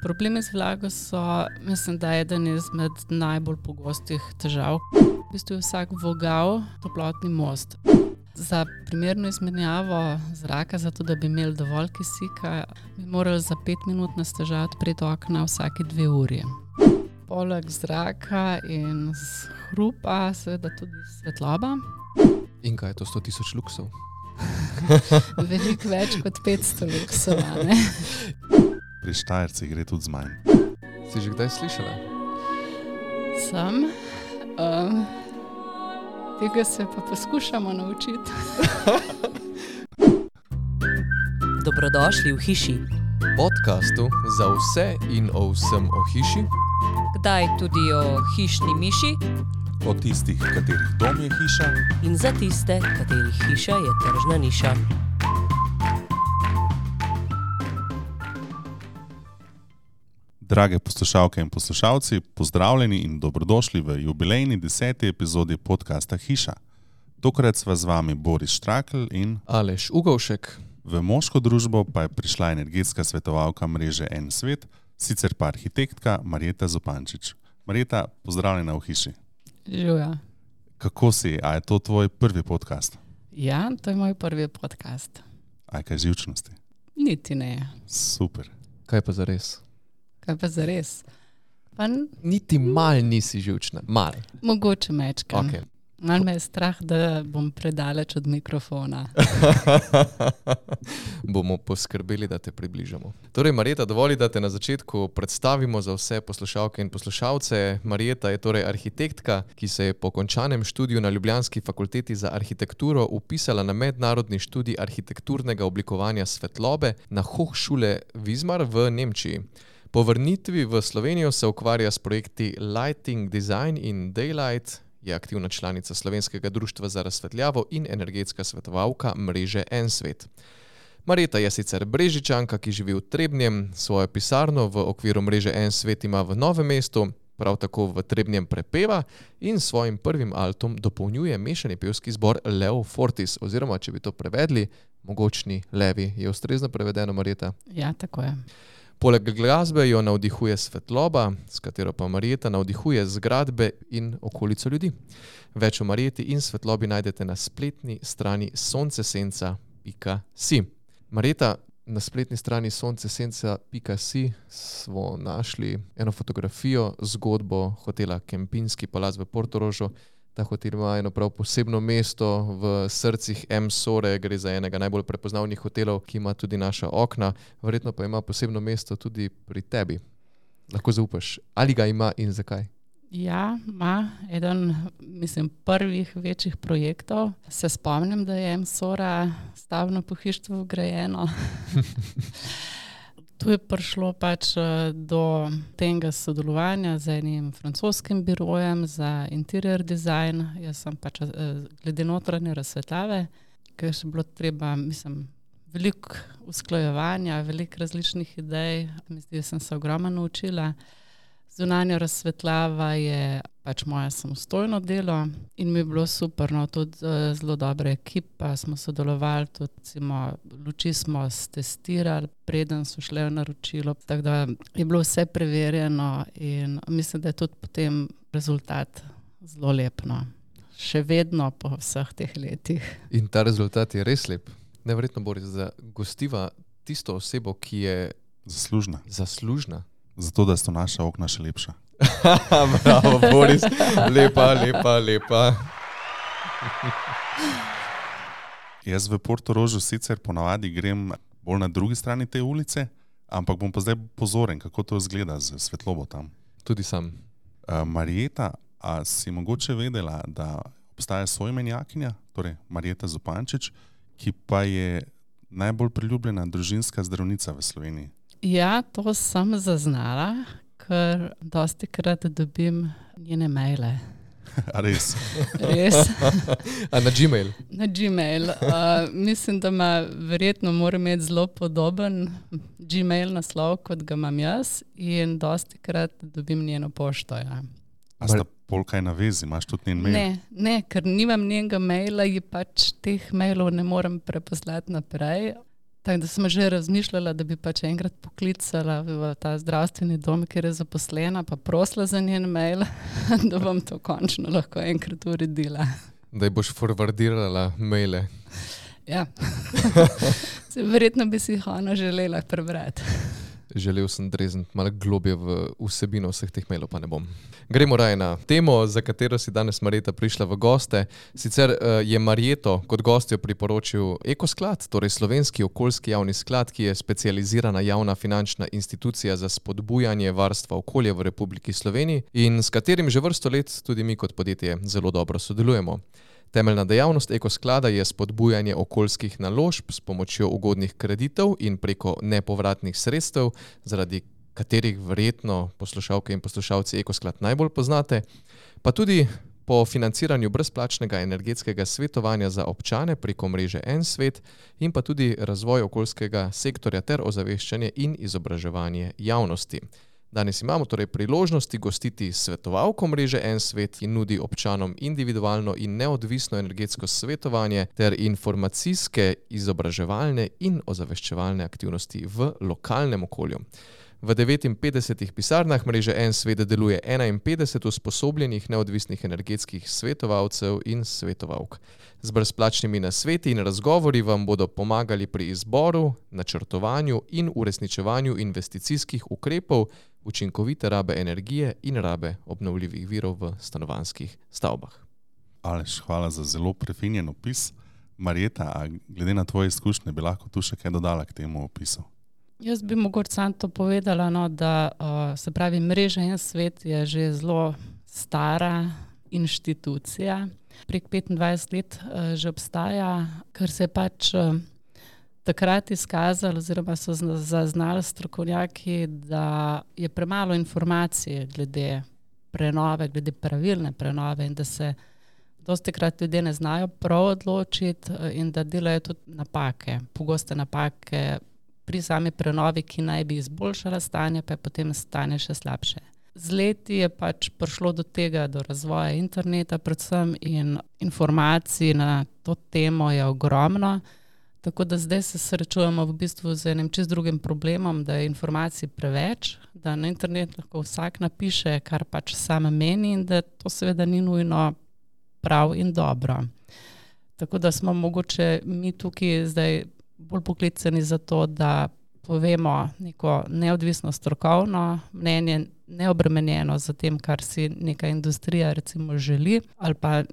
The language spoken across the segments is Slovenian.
Problemi z vlago so, mislim, da je eden izmed najbolj pogostih težav. V bistvu je vsak vogal toplotni most. Za primerno izmenjavo zraka, zato da bi imeli dovolj kisika, bi morali za 5 minut na stežaj odpreti okna vsake 2 uri. Poleg zraka in hrupa seveda tudi svetloba. In kaj je to 100.000 luksov? Veliko več kot 500 luksov, ne? Pri Štajercih gre tudi z manj. Si že kdaj slišala? Sem. Tega se pa poskušamo naučiti. Dobrodošli v hiši. Podcastu za vse in o vsem o hiši. Kdaj tudi o hišni miši Od tistih, katerih dom je hiša, in za tiste, katerih hiša je tržna niša. Drage poslušalke in poslušalci, pozdravljeni in dobrodošli v jubilejni 10. epizodi podcasta Hiša. Tokrat sva z vami Boris Štrakl in Aleš Ugovšek. v moško družbo pa je prišla energetska svetovalka mreže En svet, sicer pa arhitektka Marjeta Zupančič. Marjeta, pozdravljena v hiši. Živja. Kako si? A je to tvoj prvi podcast? Ja, to je moj prvi podcast. A je kaj živčnosti? Niti ne. Super. Kaj pa zares? Kaj pa zares? Pa Niti mal nisi živčna. Mal. mogoče mečkam. Okay. Malo me je strah, da bom predaleč od mikrofona. Bomo poskrbeli, da te približamo. Torej, Marjeta, dovoli, da te na začetku predstavimo za vse poslušalke in poslušalce. Marjeta je torej arhitektka, ki se je po končanem študiju na Ljubljanski fakulteti za arhitekturo upisala na mednarodni študij arhitekturnega oblikovanja svetlobe na Hochschule Wismar v Nemčiji. Po vrnitvi v Slovenijo se ukvarja s projekti Lighting Design in Daylight, je aktivna članica Slovenskega društva za razsvetljavo in energetska svetovalka mreže En svet. Marjeta je sicer Brežičanka, ki živi v Trebnjem, svojo pisarno v okviru mreže En svet ima v Novem mestu, prav tako v Trebnjem prepeva in s svojim prvim altom dopolnjuje mešani pevski zbor Leo Fortis, oziroma če bi to prevedli, mogočni levi. Je ustrezno prevedeno, Marjeta? Ja, tako je. Poleg glasbe jo navdihuje svetloba, s katero pa Marjeta navdihuje zgradbe in okolico ljudi. Več o Marjeti in svetlobi najdete na spletni strani soncesenca.si. Marjeta, na spletni strani soncesenca.si smo našli eno fotografijo, zgodbo hotela Kempinski palac v Portorožu. Ta hotel ima eno prav posebno mesto v srcih Emsore, gre za enega najbolj prepoznavnih hotelov, ki ima tudi naša okna, verjetno pa ima posebno mesto tudi pri tebi. Lahko zaupaš, ali ga ima in zakaj? Ja, ima eden, mislim, prvih večjih projektov. Se spomnim, da je Emsora stavbno pohištvo vgrajeno. Tu je prišlo pač do tega sodelovanja z enim francoskim birojem za interior design. Jaz sem pač glede notranje razsvetljave, ker je še bilo treba, mislim, veliko usklajevanja, veliko različnih idej. Mislim, da sem se ogromno naučila. Zunanja razsvetljava je pač moje samostojno delo in mi je bilo super, no, tudi zelo dobra ekipa, smo sodelovali, tudi luči smo testirali, preden so šle v naročilo, tako da je bilo vse preverjeno in mislim, da je tudi potem rezultat zelo lep, no. Še vedno po vseh teh letih. In ta rezultat je res lep. Neverjetno, Boris, da gostiva tisto osebo, ki je zaslužna. Zato, da so naša okna še lepša. Bravo, Boris. Lepa. Jaz v Portorožu sicer ponavadi grem bolj na drugi strani te ulice, ampak bom pa zdaj pozoren, kako to izgleda z svetlobo tam. Tudi sam. Marjeta, a si mogoče vedela, da obstaja soimenjakinja, torej Marjeta Zupančič, ki pa je najbolj priljubljena družinska zdravnica v Sloveniji? Ja, to sem zaznala, ker dostikrat dobim njene maile. A res? Res. A na Gmail? Na Gmail. Mislim, da mora imeti zelo podoben Gmail naslov, kot ga imam jaz, in dostikrat dobim njeno pošto. Ja. A sta pol kaj na vezi? Imaš tudi njen mail? Ne, ker nimam njenega maila, ji pač teh mailov ne morem preposlati naprej. Tako da sem že razmišljala, da bi pač enkrat poklicala v ta zdravstveni dom, kjer je zaposlena, pa prosila za njen mail, da bom to končno lahko enkrat uredila. Da ji boš forwardirala maile. Ja, verjetno bi si jih ona želela prebrati. Želel sem drezniti malo globje v vsebino vseh teh mailov, pa ne bom. Gremo raje na temo, za katero si danes Marjeta prišla v goste. Sicer je Marjeto kot gostjo priporočil Ekosklad, torej slovenski okoljski javni sklad, ki je specializirana javna finančna institucija za spodbujanje varstva okolja v Republiki Sloveniji in s katerim že vrsto let tudi mi kot podjetje zelo dobro sodelujemo. Temeljna dejavnost Ekosklada je spodbujanje okoljskih naložb s pomočjo ugodnih kreditov in preko nepovratnih sredstev, zaradi katerih verjetno poslušalke in poslušalci Ekosklad najbolj poznate, pa tudi po financiranju brezplačnega energetskega svetovanja za občane preko mreže En svet in pa tudi razvoj okoljskega sektorja ter ozaveščanje in izobraževanje javnosti. Danes imamo torej priložnosti gostiti svetovalko mreže En svet, ki nudi občanom individualno in neodvisno energetsko svetovanje ter informacijske, izobraževalne in ozaveščevalne aktivnosti v lokalnem okolju. V 59 pisarnah mreže En svet deluje 51 usposobljenih neodvisnih energetskih svetovalcev in svetovalk. Z brezplačnimi nasveti in razgovori vam bodo pomagali pri izboru, načrtovanju in uresničevanju investicijskih ukrepov, učinkovite rabe energije in rabe obnovljivih virov v stanovanjskih stavbah. Aleš, hvala za zelo prefinjen opis. Marjeta, a glede na tvoje izkušnje bi lahko tu še kaj dodala k temu opisu? Jaz bi mogoče samo to povedala, da se pravi, mreža En svet je že zelo stara inštitucija. Prek 25 let že obstaja, ker se je pač takrat izkazalo, oziroma so zaznali strokovnjaki, da je premalo informacije glede prenove, glede pravilne prenove in da se dostikrat ljudje ne znajo prav odločiti in da delajo tudi napake, pogoste napake pri sami prenovi, ki naj bi izboljšala stanje, pa je potem stanje še slabše. Z leti je pač prišlo do tega, do razvoja interneta predvsem in informacij na to temo je ogromno, tako da zdaj se srečujemo v bistvu z enim čist drugim problemom, da je informacij preveč, da na internet lahko vsak napiše, kar pač sam meni in da to seveda ni nujno prav in dobro. Tako da smo mogoče mi tukaj zdaj bolj poklicani za to, da povemo neko neodvisno strokovno mnenje, neobremenjeno za tem, kar si neka industrija recimo želi, ali pa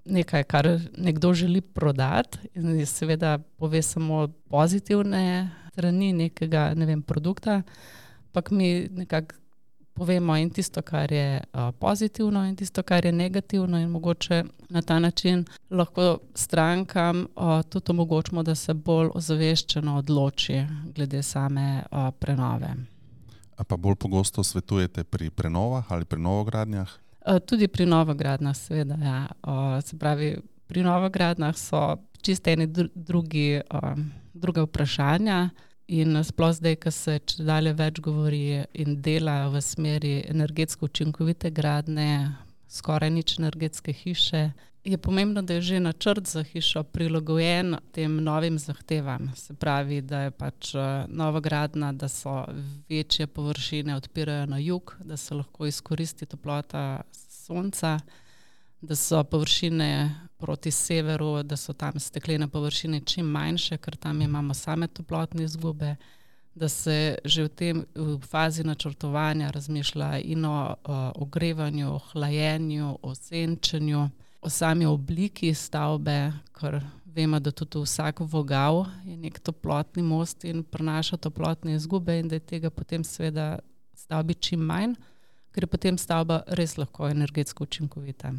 nekaj, kar nekdo želi prodati in seveda pove samo pozitivne strani nekega, produkta, ampak mi nekako povemo in tisto, kar je pozitivno in tisto, kar je negativno in mogoče na ta način lahko strankam tudi omogočimo, da se bolj ozaveščeno odloči glede same prenove. A pa bolj pogosto svetujete pri prenovah ali pri novogradnjah? Tudi pri novogradnjah, seveda, ja. Se pravi, pri novogradnjah so čisto eni druga vprašanja. In sploh zdaj, ko se čedalje več govori in dela v smeri energetsko učinkovite gradnje, skoraj nič energetske hiše, je pomembno, da je že načrt za hišo prilagojen tem novim zahtevam. Se pravi, da je pač novogradnja, da so večje površine odpirajo na jug, da se lahko izkoristi toplota sonca, da so površine proti severu, da so tam steklene površine čim manjše, ker tam imamo same toplotne izgube, da se že v fazi načrtovanja razmišlja in o ogrevanju, hlajenju, o senčenju, o sami obliki stavbe, ker vemo, da tudi vsak vogal je nek toplotni most in prenaša toplotne izgube in da je tega potem seveda stavbi čim manj, ker je potem stavba res lahko energetsko učinkovita.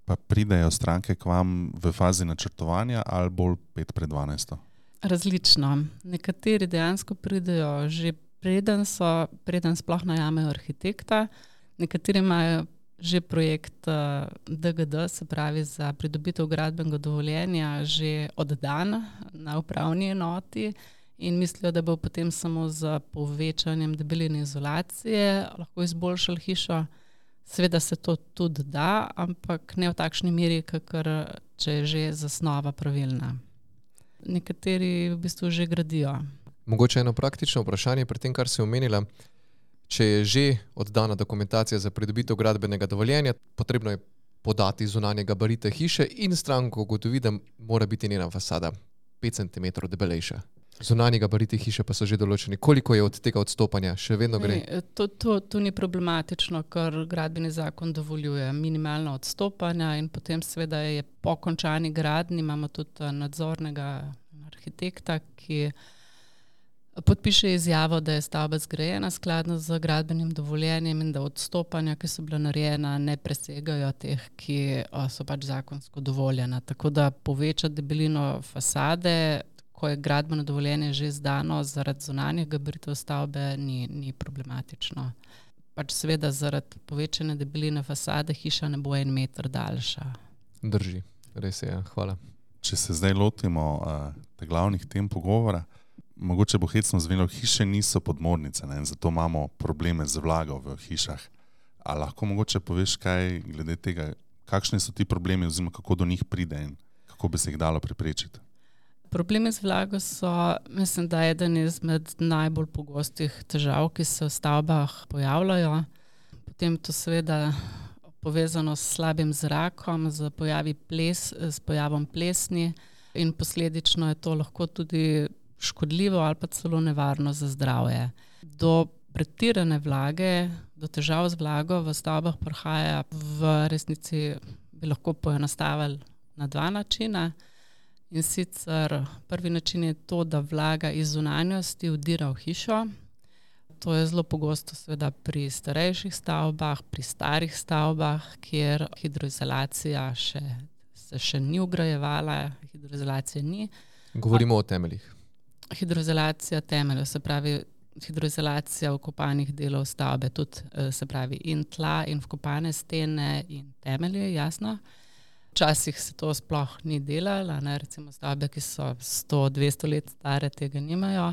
Pa pridejo stranke k vam v fazi načrtovanja ali bolj 5 pred 12? Različno. Nekateri dejansko pridejo že preden sploh najamejo arhitekta, nekateri imajo že projekt DGD, se pravi za pridobitev gradbenega dovoljenja, že oddan na upravni enoti in mislijo, da bo potem samo z povečanjem debeline izolacije lahko izboljšali hišo. Seveda se to tudi da, ampak ne v takšni meri, kakor če je že zasnova pravilna. nekateri v bistvu že gradijo. Mogoče eno praktično vprašanje pri tem, kar si omenila. Če je že oddana dokumentacija za pridobitev gradbenega dovoljenja, potrebno je podati zunanje gabarite hiše in stranko ugotovi, da mora biti njena fasada 5 cm debelejša. Zunanji gabariti hiše pa so že določeni. Koliko je od tega odstopanja? Še vedno gre? To ni problematično, ker gradbeni zakon dovoljuje minimalno odstopanja in potem seveda je po končani gradnji imamo tudi nadzornega arhitekta, ki podpiše izjavo, da je stavba zgrajena skladno z gradbenim dovoljenjem in da odstopanja, ki so bila narejena, ne presegajo teh, ki so pač zakonsko dovoljena. Tako da povečati debelino fasade, ko je gradbeno dovoljenje že izdano zaradi zunanjih gabaritov stavbe, ni problematično. Pač seveda zaradi povečane debeline fasade hiša ne bo 1 meter daljša. Drži, res je, hvala. Če se zdaj lotimo te glavnih tem pogovora, mogoče bo hecno zvenelo, hiše niso podmornice, ne? Zato imamo probleme z vlago v hišah. A lahko mogoče poveš kaj glede tega, kakšni so ti problemi oziroma kako do njih pride in kako bi se jih dalo preprečiti? Problemi z vlago so, mislim, da je eden izmed najbolj pogostih težav, ki se v stavbah pojavljajo. Potem to seveda povezano s slabim zrakom, z pojavom plesni in posledično je to lahko tudi škodljivo ali pa celo nevarno za zdravje. Do pretirane vlage, do težav z vlago v stavbah prihaja v resnici, bi lahko poenostavili na 2 načina. In sicer prvi način je to, da vlaga iz zunanjosti vdira v hišo. To je zelo pogosto seveda pri starejših stavbah, pri starih stavbah, kjer hidroizolacija se še ni vgrajevala, hidroizolacije ni. Govorimo o temeljih. Hidroizolacija temeljev, se pravi hidroizolacija vkopanih delov stavbe, tudi se pravi in tla, in vkopane stene, in temelje, jasno. Včasih se to sploh ni delalo, recimo stavbe, ki so 100-200 let stare, tega nimajo.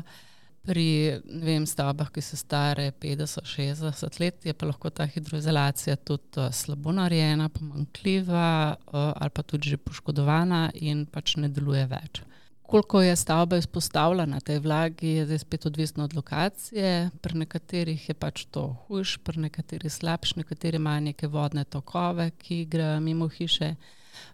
Pri stavbah, ki so stare 50-60 let, je pa lahko ta hidroizolacija tudi slabo narejena, pomanjkljiva ali pa tudi že poškodovana in pač ne deluje več. Koliko je stavba izpostavljena tej vlagi, je zdaj spet odvisno od lokacije. Pri nekaterih je pač to hujš, pri nekaterih slabš, nekateri imajo neke vodne tokove, ki grejo mimo hiše.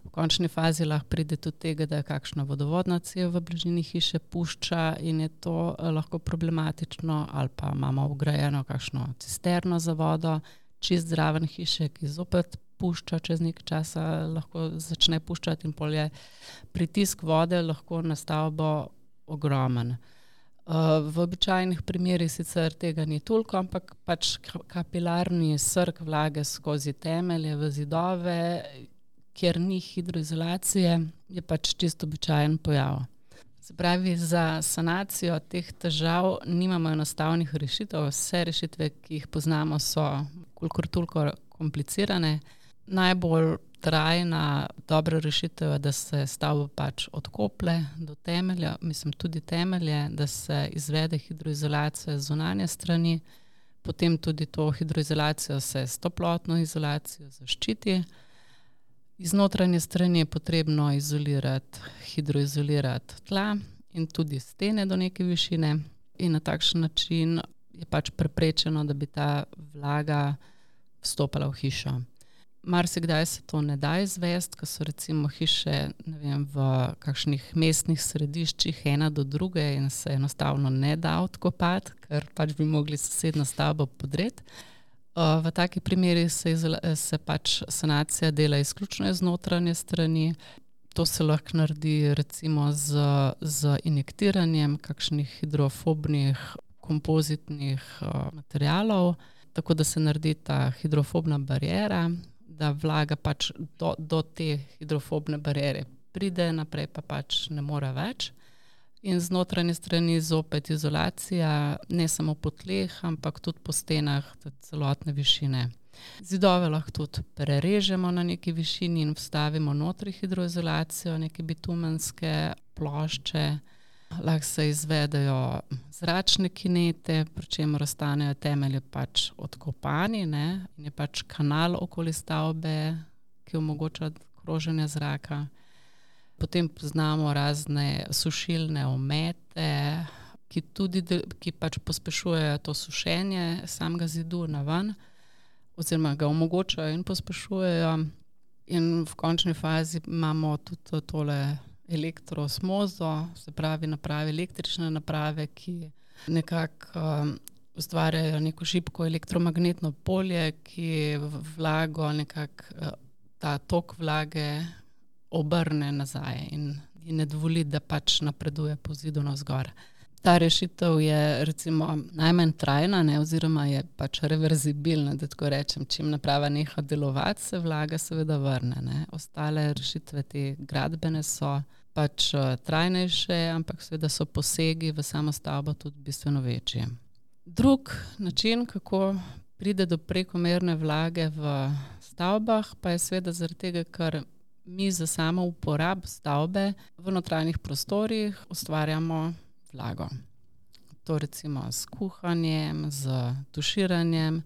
V končni fazi lahko pride tudi tega, da je kakšna vodovodna cev v bližini hiše pušča in je to lahko problematično, ali pa imamo vgrajeno kakšno cisterno za vodo, čist zraven hiše, ki zopet pušča čez nekaj časa, lahko začne puščati in pol je pritisk vode lahko na stavbo ogromen. V običajnih primerih sicer tega ni toliko, ampak pač kapilarni srk vlage skozi temelje v zidove, kjer ni hidroizolacije, je pač čisto običajen pojav. Se pravi, za sanacijo teh težav nimamo enostavnih rešitev. Vse rešitve, ki jih poznamo, so kolikor toliko komplicirane. Najbolj trajna, dobra rešitev je, da se stavbo pač odkoplje do temelja, tudi temelje, da se izvede hidroizolacija z zunanje strani, potem tudi to hidroizolacijo se s toplotno izolacijo zaščiti. Iz notranje strani je potrebno hidroizolirati tla in tudi stene do neke višine in na takšen način je pač preprečeno, da bi ta vlaga vstopala v hišo. Marsikdaj se to ne da izvesti, ko so recimo hiše v kakšnih mestnih središčih ena do druge in se enostavno ne da odkopati, ker pač bi mogli sosednjo stavbo podreti. V takih primerih se pač sanacija dela izključno iz notranje strani. To se lahko naredi recimo z injektiranjem kakšnih hidrofobnih kompozitnih materialov, tako da se naredi ta hidrofobna bariera, da vlaga pač do te hidrofobne bariere pride, naprej pa pač ne more več. In z notranje strani zopet izolacija, ne samo po tleh, ampak tudi po stenah celotne višine. Zidove lahko tudi prerežemo na neki višini in vstavimo notri hidroizolacijo, neke bitumenske plošče. Lahko se izvedejo zračne kinete, pri čemer ostanejo temelji pač odkopani, ne? In je pač kanal okoli stavbe, ki omogoča kroženje zraka. Potem poznamo razne sušilne omete, ki pač pospešujejo to sušenje samega zidu naven, oziroma ga omogočajo in pospešujejo. In v končni fazi imamo tudi tole elektroosmozo, se pravi električne naprave, ki nekako ustvarjajo neko šibko elektromagnetno polje, ki vlago nekako ta tok vlage obrne nazaj in ne dovoli, da pač napreduje po zidu navzgor. Ta rešitev je recimo najmanj trajna, oziroma je pač reverzibilna, da tako rečem. Čim naprava neha delovati, se vlaga seveda vrne. Ostale rešitve te gradbene so pač trajnejše, ampak seveda so posegi v samo stavbo tudi bistveno večji. Drug način, kako pride do prekomerne vlage v stavbah, pa je seveda zaradi tega, ker mi za samo uporabo stavbe v notranjih prostorih ustvarjamo vlago. To recimo s kuhanjem, z tuširanjem,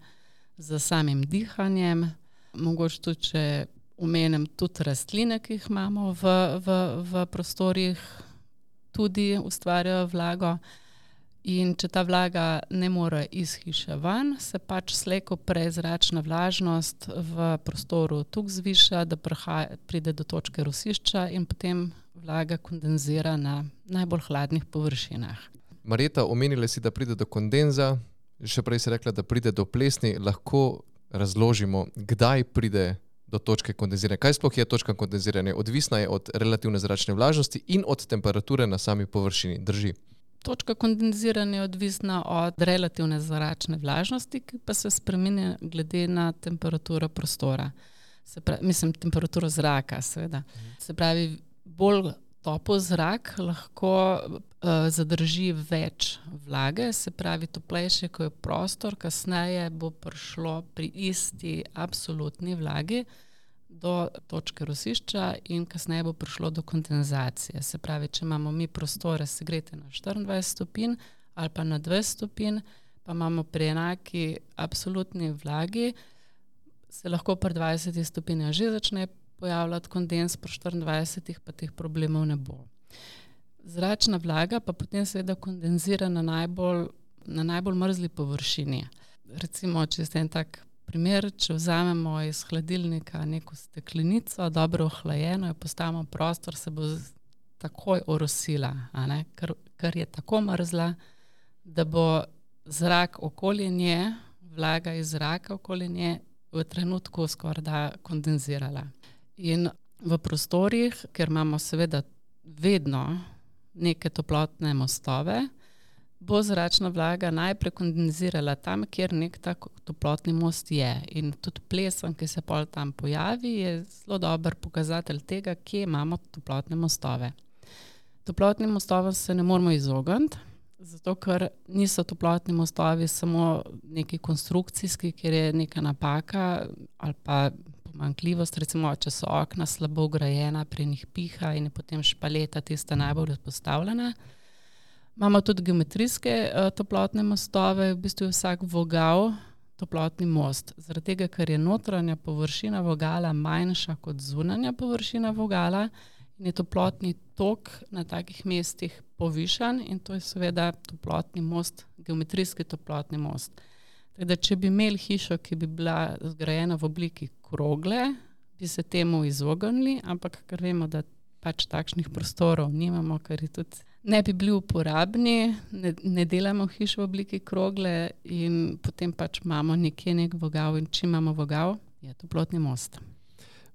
z samim dihanjem. Mogoče tudi, če omenim tudi rastline, ki jih imamo v prostorih, tudi ustvarjajo vlago. In če ta vlaga ne more iz hiše ven, se pač slej ko prej zračna vlažnost v prostoru tukaj zviša, da pride do točke rosišča in potem vlaga kondenzira na najbolj hladnih površinah. Marjeta, omenila si, da pride do kondenza, še prej si rekla, da pride do plesni. Lahko razložimo, kdaj pride do točke kondenziranja? Kaj sploh je točka kondenziranja? Odvisna je od relativne zračne vlažnosti in od temperature na sami površini. Drži? Točka kondenziranja je odvisna od relativne zračne vlažnosti, ki pa se spreminja glede na temperaturo prostora. Temperaturo zraka, seveda. Se pravi, bolj topel zrak lahko zadrži več vlage, se pravi, toplejše, ko je prostor, kasneje bo prišlo pri isti absolutni vlagi do točke rosišča in kasneje bo prišlo do kondenzacije. Se pravi, če imamo mi prostore segrete na 24 stopinj ali pa na 20 stopinj, pa imamo pri enaki absolutni vlagi, se lahko pri 20 stopinjah že začne pojavljati kondens, pri 24 pa teh problemov ne bo. Zračna vlaga pa potem seveda kondenzira na najbolj mrzli površini. Recimo, če ste en tak primer, če vzamemo iz hladilnika neko steklenico, dobro ohlajeno, jo postavimo v prostor, se bo takoj orosila, ker je tako mrzla, da bo zrak okoli nje, vlaga iz zraka okoli nje v trenutku skoraj kondenzirala. In v prostorih, ker imamo seveda vedno neke toplotne mostove, bo zračna vlaga najprej kondenzirala tam, kjer nek tak toplotni most je. In tudi plesen, ki se pol tam pojavi, je zelo dober pokazatelj tega, kje imamo toplotne mostove. Toplotnim mostovom se ne moramo izogniti, zato ker niso toplotni mostovi samo neki konstrukcijski, kjer je neka napaka ali pa pomanjkljivost, recimo, če so okna slabo ugrajena, pri njih piha in je potem špaleta tista najbolj izpostavljena. Imamo tudi geometrijske toplotne mostove, v bistvu je vsak vogal toplotni most. Zaradi tega, ker je notranja površina vogala manjša kot zunanja površina vogala in je toplotni tok na takih mestih povišan in to je seveda toplotni most, geometrijski toplotni most. Teda, če bi imeli hišo, ki bi bila zgrajena v obliki krogle, bi se temu izognili, ampak ker vemo, da pač takšnih prostorov nimamo, ker je tudi ne bi bili uporabni, ne delamo hiš v obliki krogle in potem pač imamo nekje nek vogal in če imamo vogal, je toplotni most.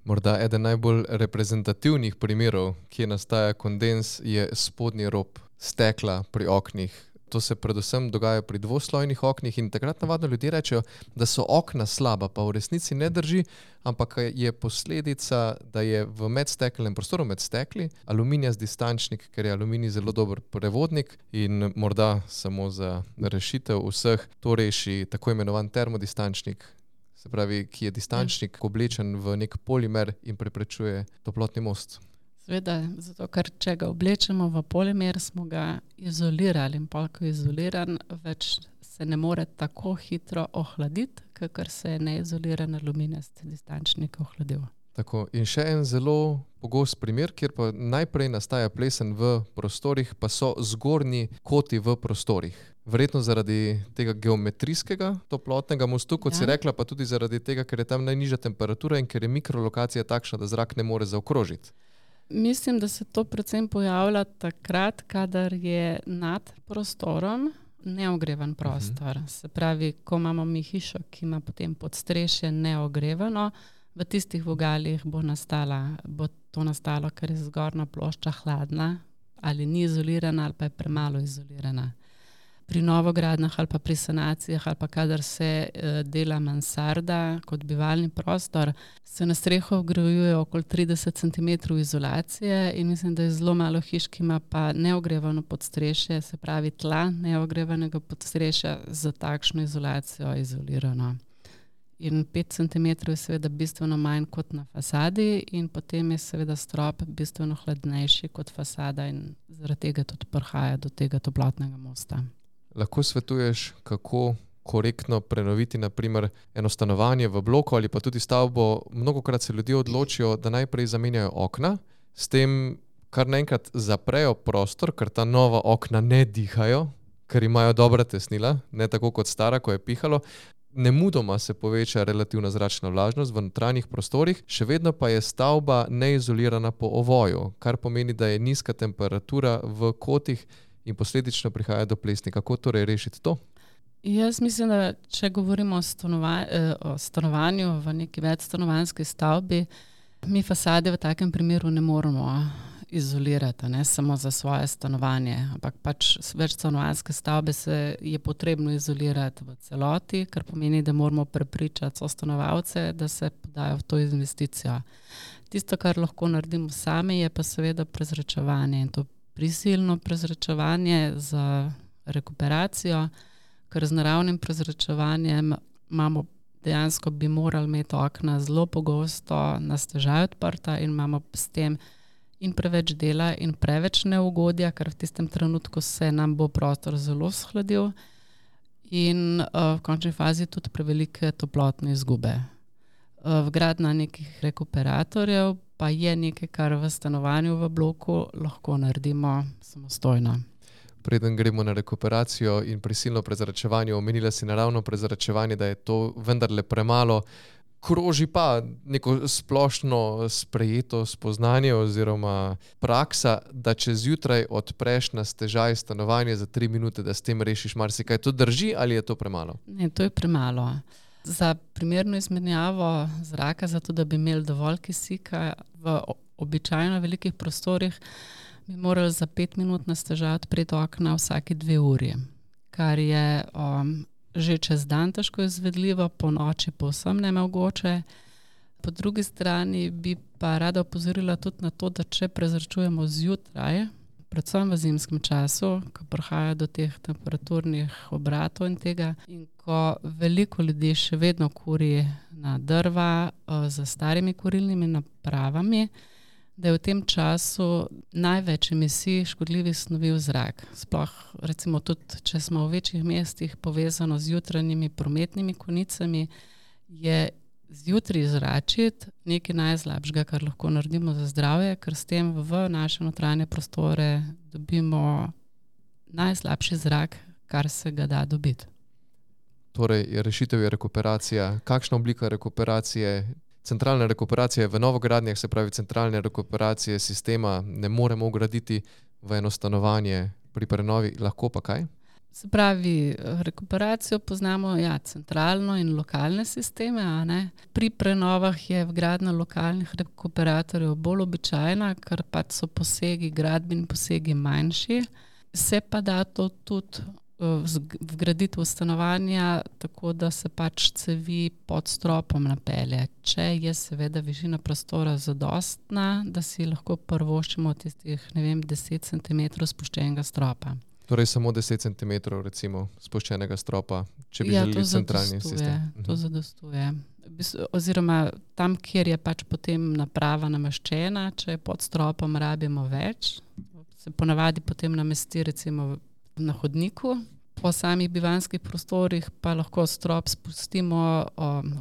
Morda eden najbolj reprezentativnih primerov, kjer nastaja kondens, je spodnji rob stekla pri oknih. To se predvsem dogaja pri dvoslojnih oknih in takrat navadno ljudje rečejo, da so okna slaba, pa v resnici ne drži, ampak je posledica, da je v medstekelnem prostoru med stekli aluminijast distančnik, ker je aluminij zelo dober prevodnik in morda samo za rešitev vseh to reši tako imenovan termodistančnik, se pravi, ki je distančnik oblečen v nek polimer in preprečuje toplotni most. Seveda, zato ker če ga oblečemo v polimer, smo ga izolirali in pol, ko je izoliran, več se ne more tako hitro ohladiti, kakor se je neizoliran aluminijast distančnik ohladil. Tako, in še en zelo pogost primer, kjer pa najprej nastaja plesen v prostorih, pa so zgornji koti v prostorih. Verjetno zaradi tega geometrijskega toplotnega mostu, kot si rekla, pa tudi zaradi tega, ker je tam najnižja temperatura in ker je mikrolokacija takšna, da zrak ne more zaokrožiti. Mislim, da se to predvsem pojavlja takrat, kadar je nad prostorom neogrevan prostor. Se pravi, ko imamo mi hišo, ki ima potem podstrešje neogrevano, v tistih vogalih bo to nastalo, ker je zgornja plošča hladna ali ni izolirana ali pa je premalo izolirana. Pri novogradnjah ali pa pri sanacijah ali pa kadar se dela mansarda kot bivalni prostor, se na streho vgrajuje okoli 30 cm izolacije in mislim, da je zelo malo hiš, ki ima pa neogrevano podstrešje, se pravi tla neogrevanega podstrešja za takšno izolacijo izolirano. In 5 cm je seveda bistveno manj kot na fasadi in potem je seveda strop bistveno hladnejši kot fasada in zaradi tega tudi prihaja do tega toplotnega mosta. Lahko svetuješ, kako korektno prenoviti naprimer eno stanovanje v bloku ali pa tudi stavbo. Mnogokrat se ljudje odločijo, da najprej zamenjajo okna, s tem kar naenkrat zaprejo prostor, ker ta nova okna ne dihajo, ker imajo dobra tesnila, ne tako kot stara, ko je pihalo. Nemudoma se poveča relativna zračna vlažnost v notranjih prostorih, še vedno pa je stavba neizolirana po ovoju, kar pomeni, da je nizka temperatura v kotih in posledično prihaja do plesni. Kako torej rešiti to? Jaz mislim, da če govorimo o stanovanju v neki večstanovanjski stavbi, mi fasade v takem primeru ne moremo izolirati, ne samo za svoje stanovanje, ampak pač večstanovanjske stavbe je potrebno izolirati v celoti, kar pomeni, da moramo prepričati sostanovalce, da se podajo v to investicijo. Tisto, kar lahko naredimo sami, je pa seveda prezračevanje in to prisilno prezračevanje za rekuperacijo, ker z naravnim prezračevanjem dejansko bi morali imeti okna zelo pogosto na stežaj odprta in imamo s tem in preveč dela in preveč neugodja, ker v tistem trenutku se nam bo prostor zelo shladil in v končni fazi tudi prevelike toplotne izgube. Vgradnja nekih rekuperatorjev pa je nekaj, kar v stanovanju v bloku lahko naredimo samostojno. Preden gremo na rekuperacijo in prisilno prezračevanje, omenila si naravno prezračevanje, da je to vendarle premalo. Kroži pa neko splošno sprejeto spoznanje oziroma praksa, da če zjutraj odpreš na stežaj stanovanje za 3 minute, da s tem rešiš marsikaj. To drži ali je to premalo? Ne, to je premalo. Za primerno izmenjavo zraka, zato da bi imeli dovolj kisika v običajno velikih prostorih, bi morali za 5 minut na stežaj odpreti okna vsake 2 uri, kar je že čez dan težko izvedljivo, po noči povsem nemogoče. Po drugi strani bi pa rada opozorila tudi na to, da če prezračujemo zjutraj, predvsem v zimskem času, ko prihaja do teh temperaturnih obratov in tega, in ko veliko ljudi še vedno kuri na drva z starimi kurilnimi napravami, da je v tem času največ emisij škodljivih snovi v zrak. Sploh recimo tudi, če smo v večjih mestih povezano z jutranjimi prometnimi konicami, je zjutraj zračiti nekaj najslabšega, kar lahko naredimo za zdravje, ker s tem v naše notranje prostore dobimo najslabši zrak, kar se ga da dobiti. Torej, rešitev je rekuperacija. Kakšna oblika rekuperacije? Centralna rekuperacija je v novogradnjah, se pravi centralne rekuperacije sistema ne moremo vgraditi v eno stanovanje, pri prenovi lahko pa kaj? Se pravi, rekuperacijo poznamo centralno in lokalne sisteme, a ne? Pri prenovah je vgradnja lokalnih rekuperatorjev bolj običajna, ker pač so gradbeni posegi manjši. Se pa da to tudi vgraditi v stanovanja, tako da se pač cevi pod stropom napelje. Če je seveda višina prostora zadostna, da si lahko privoščimo tistih, 10 cm spuščenega stropa. Torej samo 10 cm recimo spuščenega stropa, če bi želeli centralni sistem. To zadostuje. Oziroma tam, kjer je pač potem naprava nameščena, če je pod stropom rabimo več, se ponavadi potem namesti recimo na hodniku, Po samih bivanjskih prostorih pa lahko strop spustimo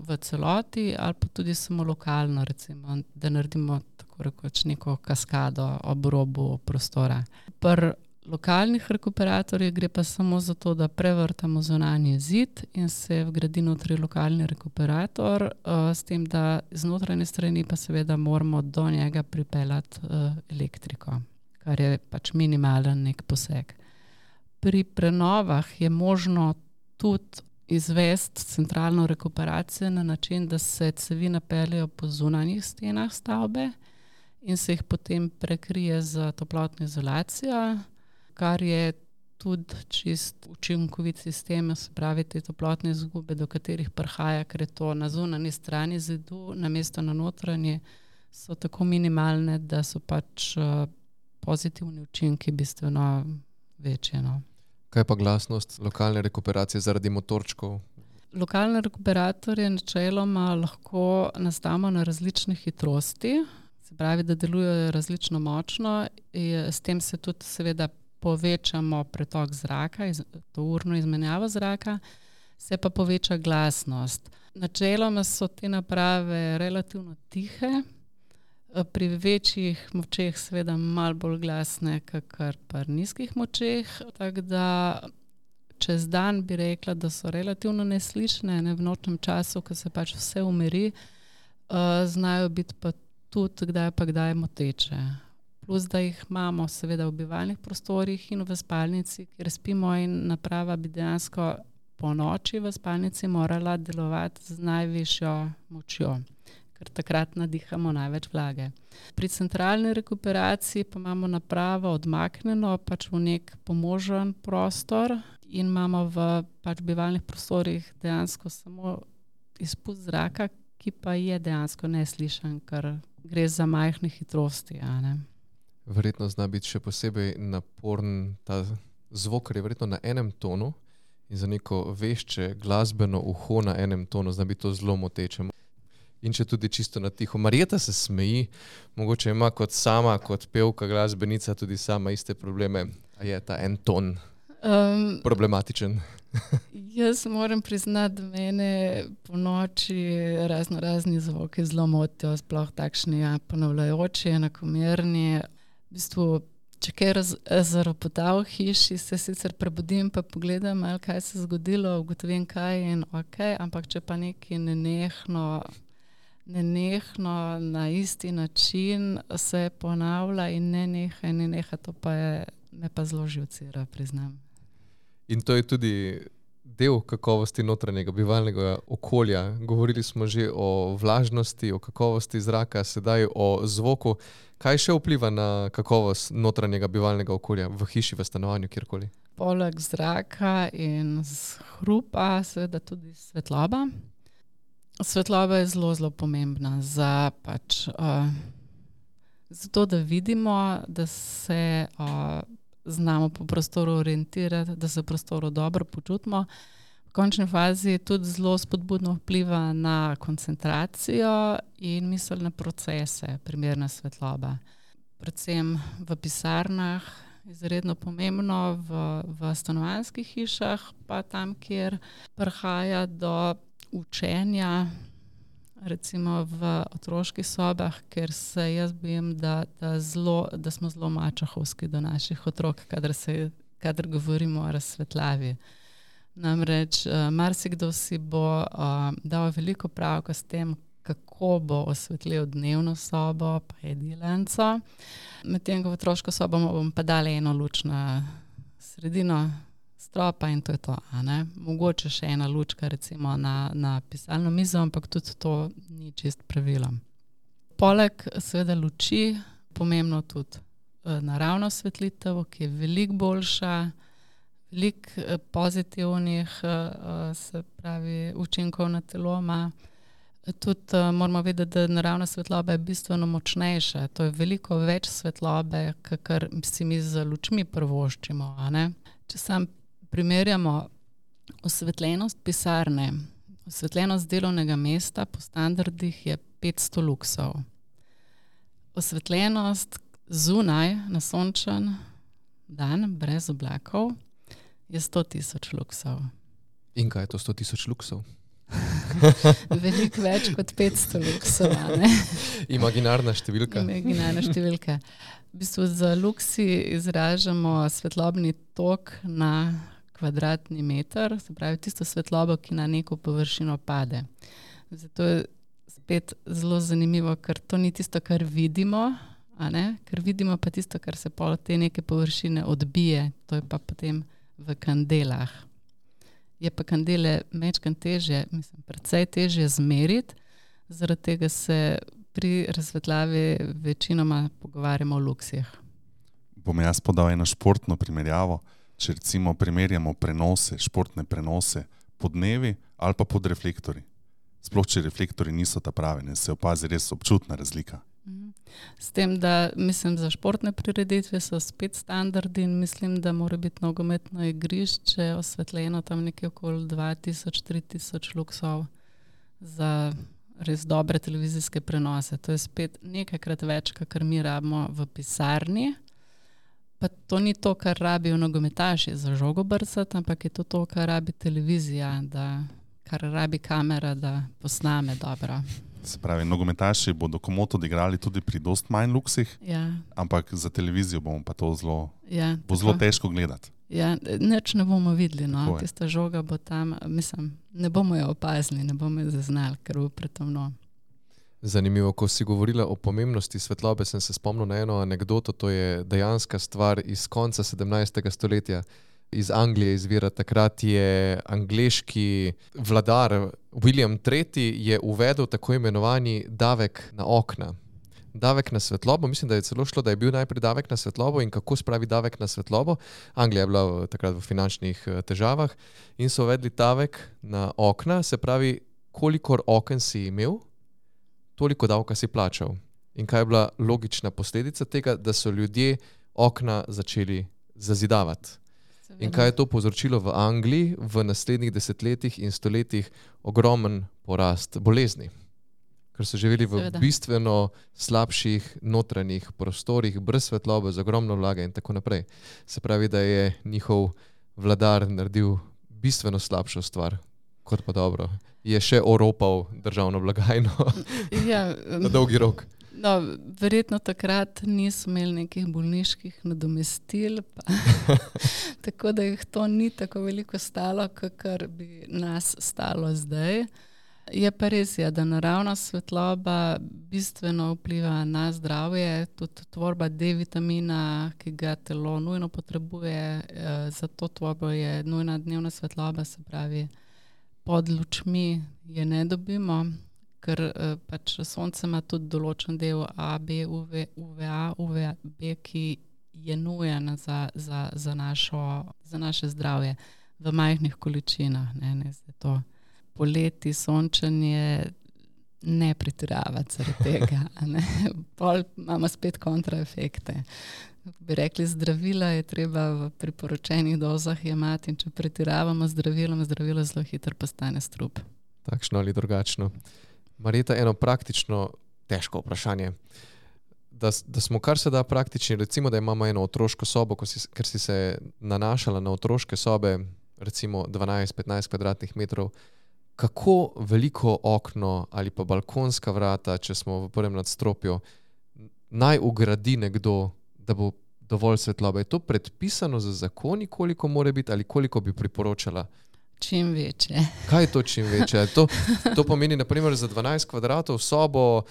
v celoti ali pa tudi samo lokalno, recimo, da naredimo tako rekoč neko kaskado ob robu prostora. Pri lokalnih rekuperatorjih gre pa samo za to, da prevrtamo zunanji zid in se vgradi notri lokalni rekuperator, s tem, da z notranje strani pa seveda moramo do njega pripeljati elektriko, kar je pač minimalen nek poseg. Pri prenovah je možno tudi izvesti centralno rekuperacijo na način, da se cevi napeljejo po zunanjih stenah stavbe in se jih potem prekrije z toplotno izolacijo, kar je tudi čist učinkovit sistem, se pravi te toplotne izgube, do katerih prihaja, ker je to na zunanji strani zidu, namesto na notranji, so tako minimalne, da so pač pozitivni učinki bistveno večji. No. Kaj pa glasnost lokalne rekuperacije zaradi motorčkov? Lokalne rekuperatorje načeloma lahko nastavimo na različne hitrosti, se pravi, da delujejo različno močno, s tem se tudi seveda povečamo pretok zraka, to urno izmenjavo zraka, se pa poveča glasnost. Načeloma so te naprave relativno tihe, pri večjih močeh seveda malo bolj glasne, kakor pri nizkih močeh, tako da čez dan bi rekla, da so relativno neslišne, v nočnem času, ko se pač vse umiri, znajo biti pa tudi kdaj moteče. Plus, da jih imamo seveda v bivalnih prostorih in v spalnici, kjer spimo, in naprava bi dejansko po noči v spalnici morala delovati z najvišjo močjo, ker takrat nadihamo največ vlage. Pri centralni rekuperaciji pa imamo napravo odmaknjeno pač v nek pomožen prostor in imamo v pač bivalnih prostorih dejansko samo izpust zraka, ki pa je dejansko neslišen, ker gre za majhne hitrosti. Verjetno zna biti še posebej naporen ta zvok, ker je verjetno na enem tonu in za neko vešče glasbeno uho na enem tonu zna biti to zelo moteče. In če tudi čisto na tiho. Marjeta se smeji, mogoče ima kot pevka, glasbenica tudi sama iste probleme. A je ta en ton problematičen? Jaz moram priznati, da mene po noči razni zvoki zelo motijo, sploh takšni ponavljajoči, enakomerni. V bistvu, če kaj zaropota v hiši, se sicer prebudim pa pogledam, kaj se je zgodilo, ugotovim kaj in okej, ampak če pa nekaj nenehno na isti način se ponavlja in neneha, to pa me pa zelo živcira, priznam. In to je tudi del kakovosti notranjega bivalnega okolja. Govorili smo že o vlažnosti, o kakovosti zraka, sedaj o zvoku. Kaj še vpliva na kakovost notranjega bivalnega okolja v hiši, v stanovanju, kjerkoli? Poleg zraka in hrupa seveda tudi svetloba. Svetloba je zelo pomembna za to, da vidimo, da se znamo po prostoru orientirati, da se v prostoru dobro počutimo. V končni fazi tudi zelo spodbudno vpliva na koncentracijo in miselne procese, primerna svetloba. Predvsem v pisarnah, izredno pomembno, v stanovanjskih hišah, pa tam, kjer prihaja do učenja, recimo v otroških sobah, ker se jaz bojim, da smo zelo mačehovski do naših otrok, kadar govorimo o razsvetlavi. Namreč marsikdo si bo dal veliko pravka s tem, kako bo osvetlil dnevno sobo, pa jedilnico. Medtem ko v otroško sobo bom pa dala eno luč na sredino stropa in to je to. Mogoče še ena lučka recimo na pisalno mizo, ampak tudi to ni čist pravilo. Poleg seveda luči, pomembno tudi naravna osvetlitev, ki je veliko boljša, veliko pozitivnih se pravi učinkov na telo ima. Tudi moramo vedeti, da naravna svetloba je bistveno močnejša. To je veliko več svetlobe, kakor si mi z lučmi privoščimo. Če sam primerjamo osvetljenost pisarne, osvetljenost delovnega mesta po standardih je 500 luksov. Osvetljenost zunaj na sončen dan, brez oblakov, je 100,000 luksov. In kaj je to 100,000 luksov? Veliko več kot 500 luksov, a ne? Imaginarna številka. Imaginarna številka. V bistvu za luksi izražamo svetlobni tok na kvadratni meter, se pravi tisto svetlobo, ki na neko površino pade. Zato je spet zelo zanimivo, ker to ni tisto, kar vidimo, a ne? Ker vidimo pa tisto, kar se pol te neke površine odbije, to je pa potem v kandelah. Je pa kandele mečkan težje, precej težje zmeriti, zaradi tega se pri razsvetljavi večinoma pogovarjamo o luksih. Bom jaz podal eno športno primerjavo. Če recimo primerjamo prenose, športne prenose pod dnevi ali pa pod reflektorji. Sploh, če reflektorji niso ta pravi, ne, se opazi res občutna razlika. S tem, da mislim, za športne prireditve so spet standardi in mislim, da mora biti nogometno igrišče osvetljeno tam nekje okoli 2000-3000 luksov za res dobre televizijske prenose. To je spet nekajkrat več, kakor mi rabimo v pisarni. Pa to ni to, kar rabijo nogometaši za žogo brcati, ampak je to, kar rabi televizija, kar rabi kamera, da posname dobro. Se pravi, nogometaši bodo komot odigrali tudi pri dost manj luksih, ampak za televizijo bomo pa to zelo težko gledati. Ja, nič ne bomo videli, no. Tista žoga bo tam, ne bomo jo opazili, ne bomo jo zaznali, ker bo pretemno. Zanimivo, ko si govorila o pomembnosti svetlobe, sem se spomnil na eno anekdoto, to je dejanska stvar iz konca 17. stoletja. Iz Anglije izvira. Takrat je angleški vladar William III. Je uvedel tako imenovani davek na okna. Davek na svetlobo, mislim, da je celo šlo, da je bil najprej davek na svetlobo in kako spravi davek na svetlobo. Anglija je bila takrat v finančnih težavah in so uvedli davek na okna, se pravi, kolikor oken si imel, toliko davka si plačal. In kaj je bila logična posledica tega, da so ljudje okna začeli zazidavati. In kaj je to povzročilo v Angliji v naslednjih desetletjih in stoletjih? Ogromen porast bolezni. Ker so živeli v bistveno slabših notranjih prostorih, brez svetlobe, z ogromno vlage in tako naprej. Se pravi, da je njihov vladar naredil bistveno slabšo stvar, kot pa dobro. Je še oropal državno blagajno na dolgi rok. No, verjetno takrat niso imeli nekih bolniških nadomestil, tako da jih to ni tako veliko stalo, kakor bi nas stalo zdaj. Je pa res, da naravna svetloba bistveno vpliva na zdravje, tudi tvorba D-vitamina, ki ga telo nujno potrebuje, za to tvorbo je nujna dnevna svetloba, se pravi, pod lučmi je ne dobimo, ker pač sonce ima tudi določen del A, B, UVA, UVB, ki je nujen za naše zdravje v majhnih količinah. Ne zdaj to poleti, sončenje, ne pretiravati zaradi tega. Ne. Pol imamo spet kontraefekte. Bi rekli, zdravila je treba v priporočenih dozah jemati in če pretiravamo zdravilo zelo hitro postane strup. Takšno ali drugačno. Marjeta, eno praktično težko vprašanje. Da smo kar se da praktični, recimo, da imamo eno otroško sobo, ker si se nanašala na otroške sobe, recimo 12-15 kvadratnih metrov, kako veliko okno ali pa balkonska vrata, če smo v prvem nadstropju, naj ugradi nekdo, da bo dovolj svetlobe? Je to predpisano za zakoni, koliko mora biti ali koliko bi priporočala? Čim večje. Kaj je to čim večje? To pomeni, naprimer, za 12 kvadratov sobo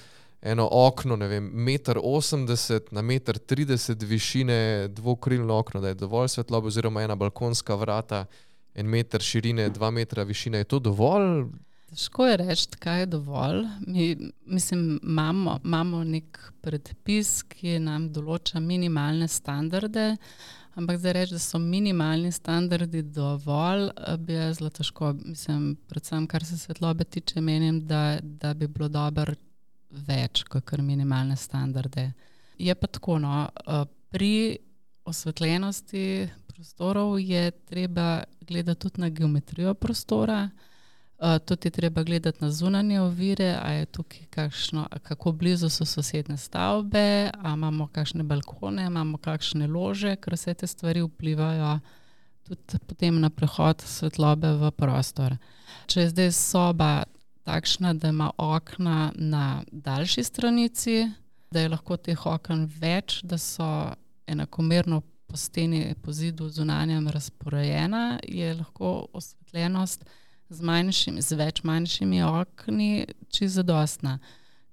eno okno, ne vem, 1,80 m na 1,30 m višine, dvokrilno okno, da je dovolj svetlobe, oziroma ena balkonska vrata, 1 meter širine, 2 metra višine. Je to dovolj? Težko je reči, kaj je dovolj. Imamo nek predpis, ki nam določa minimalne standarde, ampak zdaj reči, da so minimalni standardi dovolj, bi je zelo težko. Predvsem, kar se svetlobe tiče, menim, da bi bilo dobro več, kakor minimalne standarde. Je pa tako, pri osvetljenosti prostorov je treba gledati tudi na geometrijo prostora, tudi je treba gledati na zunanje ovire, a je tukaj kako blizu so sosedne stavbe, a imamo kakšne balkone, imamo kakšne lože, ker vse te stvari vplivajo tudi potem na prehod svetlobe v prostor. Če je zdaj soba takšna, da ima okna na daljši stranici, da je lahko teh oken več, da so enakomerno po steni, po zidu zunanjem razporejena, je lahko osvetljenost z več manjšimi okni čisto zadostna.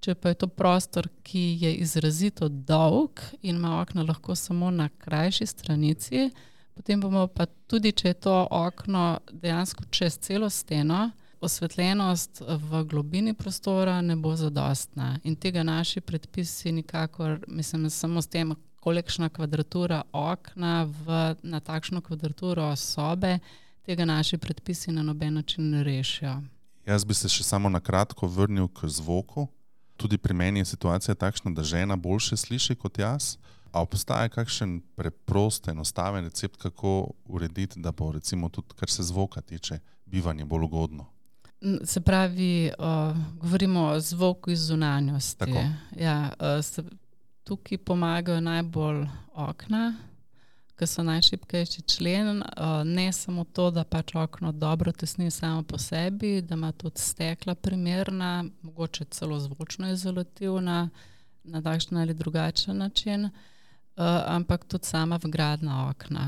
Če pa je to prostor, ki je izrazito dolg in ima okna lahko samo na krajši stranici, potem bomo pa tudi, če je to okno dejansko čez celo steno, osvetljenost v globini prostora ne bo zadostna. In tega naši predpisi nikakor, mislim, samo s tem, kolikšna kvadratura okna na takšno kvadraturo sobe, tega naši predpisi na noben način ne rešijo. Jaz bi se še samo na kratko vrnil k zvoku. Tudi pri meni je situacija takšna, da žena boljše sliši kot jaz. A obstaja kakšen preprost, enostaven recept, kako urediti, da bo recimo tudi, kar se zvoka tiče, bivanje bolj ugodno? Se pravi, govorimo o zvoku iz zunanjosti. Tako. Ja, tukaj pomagajo najbolj okna, ki so najšibkejši člen. Ne samo to, da pač okno dobro tesni samo po sebi, da ima tudi stekla primerna, mogoče celo zvočno izolativna, na takšen ali drugačen način, ampak tudi sama vgradna okna.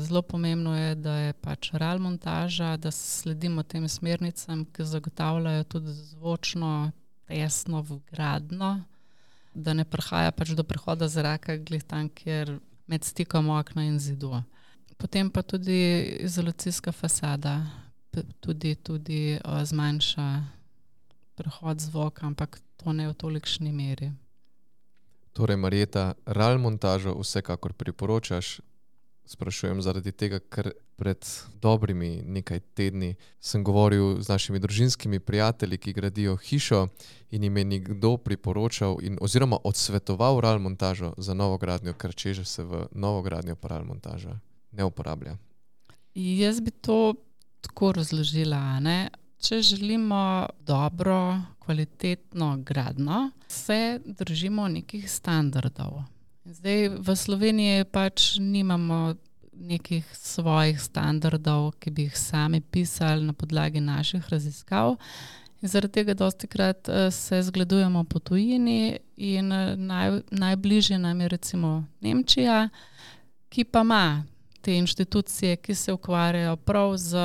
Zelo pomembno je, da je pač RAL montaža, da sledimo tem smernicam, ki zagotavljajo tudi zvočno, tesno, vgradno, da ne prihaja pač do prehoda zraka glih tam, kjer med stikom okna in zidu. Potem pa tudi izolacijska fasada tudi zmanjša prehod zvoka, ampak to ne v tolikšni meri. Torej, Marjeta, RAL montažo vsekakor priporočaš. Sprašujem zaradi tega, ker pred dobrimi nekaj tedni sem govoril z našimi družinskimi prijatelji, ki gradijo hišo, in jim je nekdo priporočal oziroma odsvetoval RAL montažo za novogradnjo, ker čeže se v novogradnjo pa RAL montaža ne uporablja. Jaz bi to tako razložila, ne? Če želimo dobro, kvalitetno gradnjo, se držimo nekih standardov. Zdaj v Sloveniji pač nimamo nekih svojih standardov, ki bi jih sami pisali na podlagi naših raziskav. In zaradi tega dostikrat se zgledujemo po tujini in najbližje nam je recimo Nemčija, ki pa ima te inštitucije, ki se ukvarjajo prav z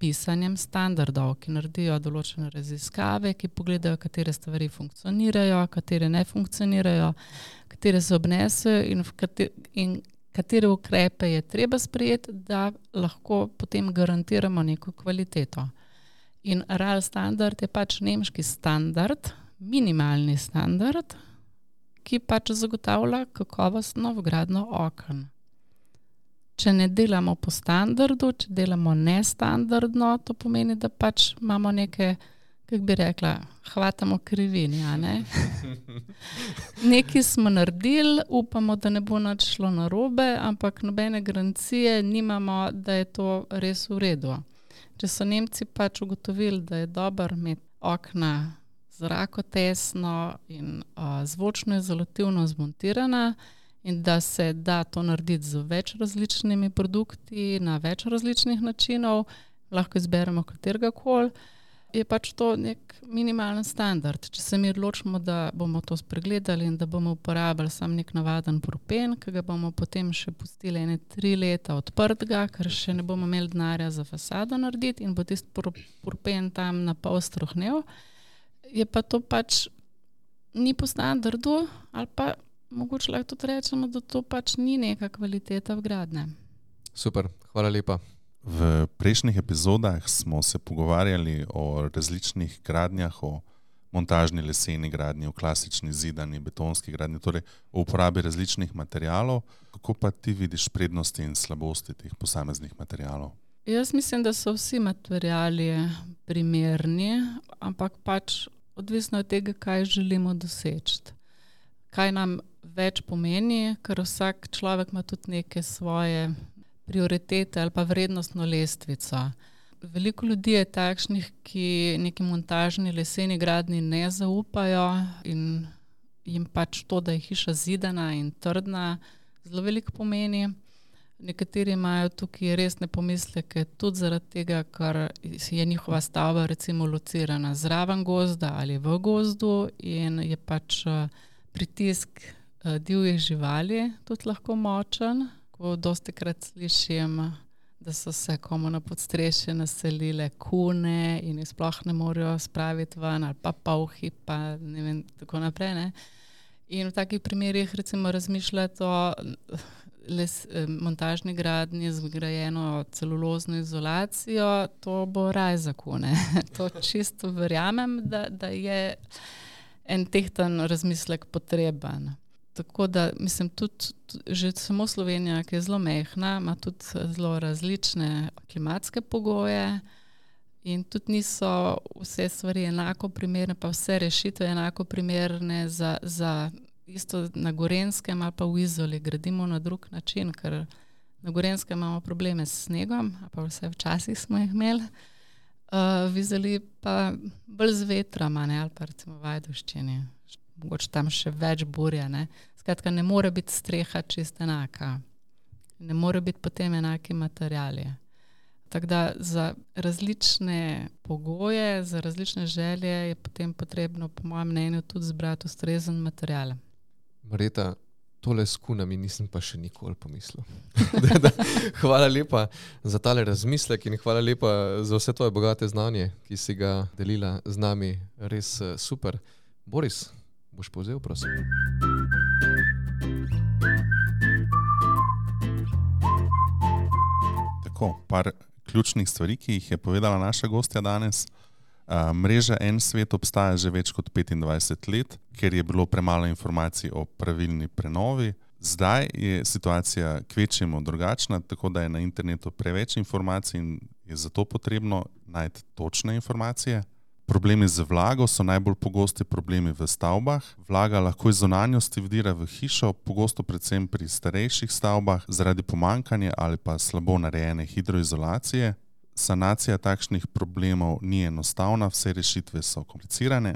pisanjem standardov, ki naredijo določene raziskave, ki pogledajo, katere stvari funkcionirajo, katere ne funkcionirajo, katere se obnesejo in katere ukrepe je treba sprejeti, da lahko potem garantiramo neko kvaliteto. In RAL standard je pač nemški standard, minimalni standard, ki pač zagotavlja kakovostno vgradnjo oken. Če ne delamo po standardu, če delamo nestandardno, to pomeni, da pač imamo neke, kako bi rekla, hvatamo krivini, a ne? Nekaj smo naredili, upamo, da ne bo nič šlo narobe, ampak nobene garancije nimamo, da je to res v redu. Če so Nemci pač ugotovili, da je dobro imeti okna zrakotesno in zvočno izolativno zmontirana, in da se da to narediti z več različnimi produkti, na več različnih načinov, lahko izberemo katerega koli, je pač to nek minimalen standard. Če se mi odločimo, da bomo to spregledali in da bomo uporabljali sam nek navaden propen, ki ga bomo potem še pustili 3 leta odprtega, ker še ne bomo imeli denarja za fasado narediti in bo tisti propen tam na pol strohnel, je pa to pač ni po standardu, ali pa mogoče lahko tudi rečemo, da to pač ni neka kvaliteta vgradnje. Super, hvala lepa. V prejšnjih epizodah smo se pogovarjali o različnih gradnjah, o montažni leseni gradnji, o klasični zidani, betonski gradnji, torej o uporabi različnih materialov. Kako pa ti vidiš prednosti in slabosti teh posameznih materialov? Jaz mislim, da so vsi materiali primerni, ampak pač odvisno od tega, kaj želimo doseči. Kaj nam več pomeni, ker vsak človek ima tudi neke svoje prioritete ali pa vrednostno lestvico. Veliko ljudi je takšnih, ki neki montažni leseni gradnji ne zaupajo in jim pač to, da je hiša zidana in trdna, zelo veliko pomeni. Nekateri imajo tukaj resne pomisleke tudi zaradi tega, ker je njihova stavba recimo locirana zraven gozda ali v gozdu in je pač pritisk divjih živali tudi lahko močen. Ko dostikrat slišim, da so se komu na podstrešje naselile kune in jih sploh ne morejo spraviti ven, ali pa polhi, pa ne vem, tako naprej. Ne? In v takih primerih recimo razmišljati o montažni gradnji z vgrajeno celulozno izolacijo, to bo raj za kune. To čisto verjamem, da je en tehten razmislek potreben. Tako da, mislim, tudi že samo Slovenija, ki je zelo mehna, ima tudi zelo različne klimatske pogoje in tudi niso vse stvari enako primerne, pa vse rešitve enako primerne za isto na Gorenjskem ali pa v Izoli gradimo na drug način, ker na Gorenjskem imamo probleme s snegom, pa vse včasih smo jih imeli, v Izoli pa bolj z vetrama, ne, ali pa recimo v Ajdovščini. Mogoče tam še več burja. Ne. Skratka, ne more biti streha čisto enaka. Ne more biti potem enaki materiali. Tako da za različne pogoje, za različne želje je potem potrebno, po mojem mnenju, tudi zbrati ustrezen material. Marjeta, tole s kunami nisem pa še nikoli pomislil. Hvala lepa za tale razmislek in hvala lepa za vse tvoje bogate znanje, ki si ga delila z nami. Res super. Boris, boš povzel, prosim. Tako, par ključnih stvari, ki jih je povedala naša gostja danes. Mreža En svet obstaja že več kot 25 let, ker je bilo premalo informacij o pravilni prenovi. Zdaj je situacija kvečjemu drugačna, tako da je na internetu preveč informacij in je zato potrebno najti točne informacije. Problemi z vlago so najbolj pogosti problemi v stavbah. Vlaga lahko iz zunanjosti vdira v hišo, pogosto predvsem pri starejših stavbah zaradi pomanjkanja ali pa slabo narejene hidroizolacije. Sanacija takšnih problemov ni enostavna, vse rešitve so komplicirane.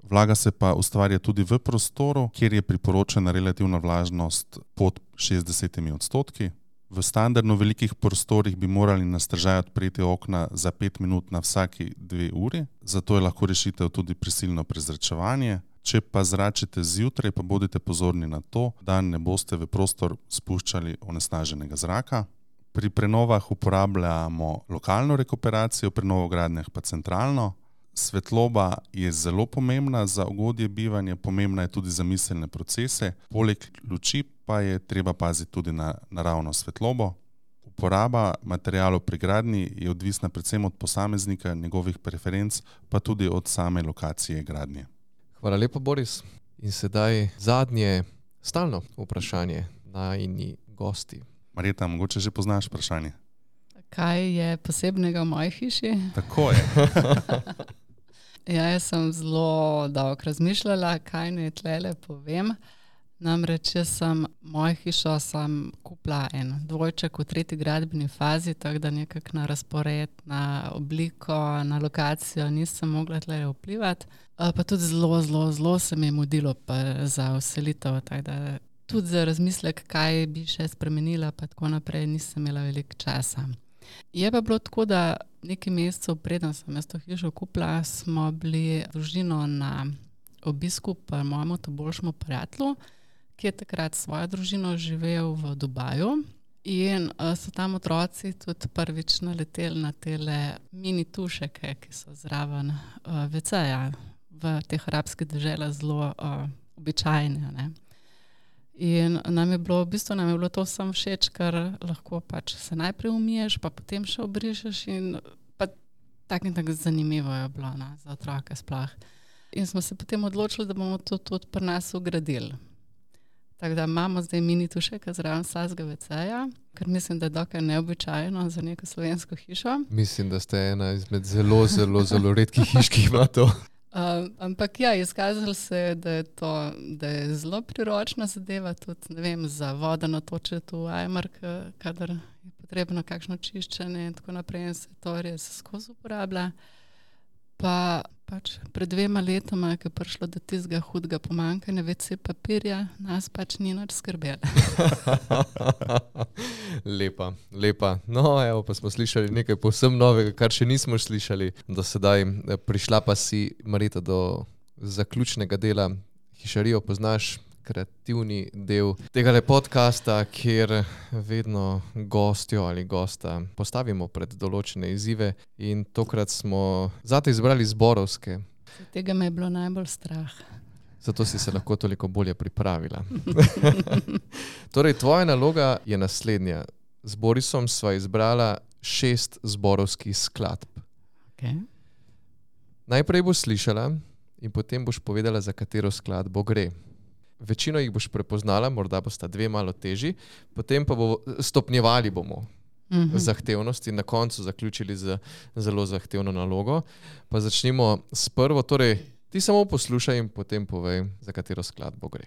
Vlaga se pa ustvarja tudi v prostoru, kjer je priporočena relativna vlažnost pod 60%. V standardno velikih prostorih bi morali na strežaj odpreti okna za 5 minut na vsaki 2 uri, zato je lahko rešitev tudi prisilno prezračevanje. Če pa zračite zjutraj, pa bodite pozorni na to, da ne boste v prostor spuščali onesnaženega zraka. Pri prenovah uporabljamo lokalno rekuperacijo, pri novogradnjah pa centralno. Svetloba je zelo pomembna za ugodje bivanja, pomembna je tudi za miselne procese. Poleg luči pa je treba paziti tudi na naravno svetlobo. Uporaba materialov pri gradnji je odvisna predvsem od posameznika, njegovih preferenc, pa tudi od same lokacije gradnje. Hvala lepa, Boris. In sedaj zadnje stalno vprašanje najini gosti. Marjeta, mogoče že poznaš vprašanje? Kaj je posebnega v moji hiši? Tako je. Ja, jaz sem zelo dolgo razmišljala, kaj naj tlele povem. Namreč jaz sem mojo hišo kupila en dvojček v 3. gradbeni fazi, tako da nekako na razpored, na obliko, na lokacijo nisem mogla tlele vplivati. Pa tudi zelo se mi je mudilo za vselitev, tako da tudi za razmislek, kaj bi še spremenila, pa tako naprej nisem imela veliko časa. Je pa bilo tako, da nekaj mesecev preden sem jaz to hišo kupila, smo bili družino na obisku pri mojemu boljšemu prijatelju, ki je takrat svojo družino živel v Dubaju in so tam otroci tudi prvič naleteli na tele mini tušeke, ki so zraven WC-ja v teh arabskih deželah zelo običajne, ne. In nam je bilo to vsem všeč, ker lahko pač se najprej umiješ, pa potem še obrišeš in pa tako zanimivo je bilo, ne, za otroke sploh. In smo se potem odločili, da bomo to tudi pri nas ugradili. Tako da imamo zdaj mini tušek zraven vsakega WC-ja, ker mislim, da je dokaj neobičajno za neko slovensko hišo. Mislim, da ste ena izmed zelo redkih hiš, ki ima to. Ampak ja, izkazalo se je, da je zelo priročna zadeva, tudi ne vem, za vodo natočiti v ajmer, kadar je potrebno kakšno čiščenje in tako naprej in se to res skozi uporablja. Pa pač pred 2 letoma, ko je prišlo do tistega hudega pomanjkanja WC papirja, nas pač ni nič skrbelo. Lepa. No, evo, pa smo slišali nekaj povsem novega, kar še nismo slišali do sedaj. Prišla pa si, Marjeta, do zaključnega dela. Hišarijo poznaš, kreativni del tega podcasta, kjer vedno gostjo ali gosta postavimo pred določene izzive in tokrat smo zate izbrali zborovske. Tega me je bilo najbolj strah. Zato si se lahko toliko bolje pripravila. Torej, tvoja naloga je naslednja. Z Borisom sva izbrala 6 zborovskih skladb. Okay. Najprej boš slišala in potem boš povedala, za katero skladbo gre. Večino jih boš prepoznala, morda bosta 2 malo težji, potem pa stopnjevali bomo zahtevnost in na koncu zaključili z zelo zahtevno nalogo. Pa začnimo s prvo, torej ti samo poslušaj in potem povej, za katero skladbo gre.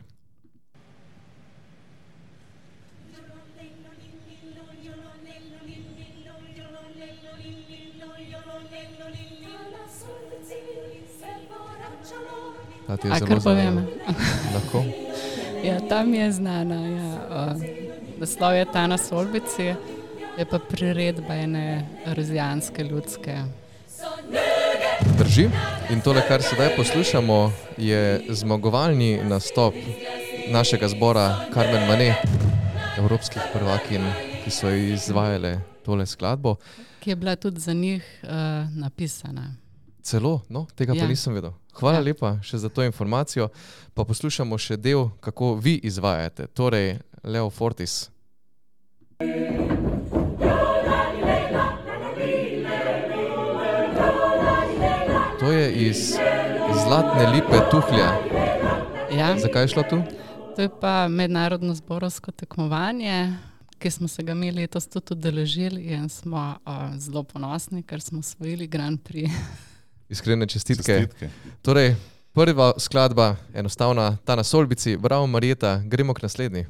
Kar povem. Lahko? Ja, tam je znana. Ja. Naslov je Ta na Solbici, je pa priredba ene rozijanske ljudske. Drži. In tole, kar sedaj poslušamo, je zmagovalni nastop našega zbora Carmen Mane, evropskih prvakinj, ki so izvajale tole skladbo. Ki je bila tudi za njih napisana. Celo? No, tega pa nisem vedel. Hvala lepa še za to informacijo. Pa poslušamo še del, kako vi izvajate. Torej, Leo Fortis. To je iz Zlatne lipe Tuhlja. Ja. Zakaj je šlo tu? To je pa mednarodno zborovsko tekmovanje, ki smo se ga mi letos tudi udeležili in smo zelo ponosni, ker smo osvojili Grand Prix. Iskrene čestitke. Torej, prva skladba, enostavna, Ta na Solbici. Bravo, Marjeta, gremo k naslednji.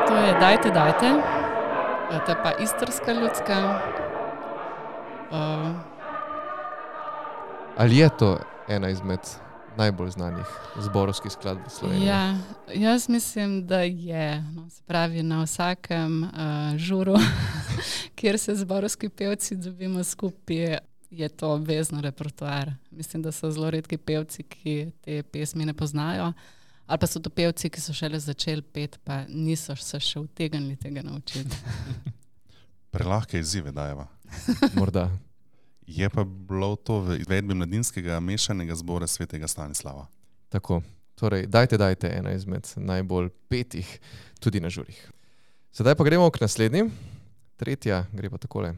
To je Dajte. To je pa istrska ljudska. Ali je to ena izmed najbolj znanih zborovskih skladb v Sloveniji? Ja, jaz mislim, da je. No, se pravi, na vsakem žuru, kjer se zborovski pevci dobimo skupaj, je to obvezno repertoar. Mislim, da so zelo redki pevci, ki te pesmi ne poznajo, ali pa so to pevci, ki so šele začeli peti, pa niso se še utegnili tega naučiti. Prelahke izzive dajeva. Morda. Je pa bilo to v izvedbi mladinskega mešanega zbora Svetega Stanislava. Tako. Torej, Dajte, ena izmed najbolj petih tudi na žurih. Sedaj pa gremo k naslednji. Tretja gre pa takole.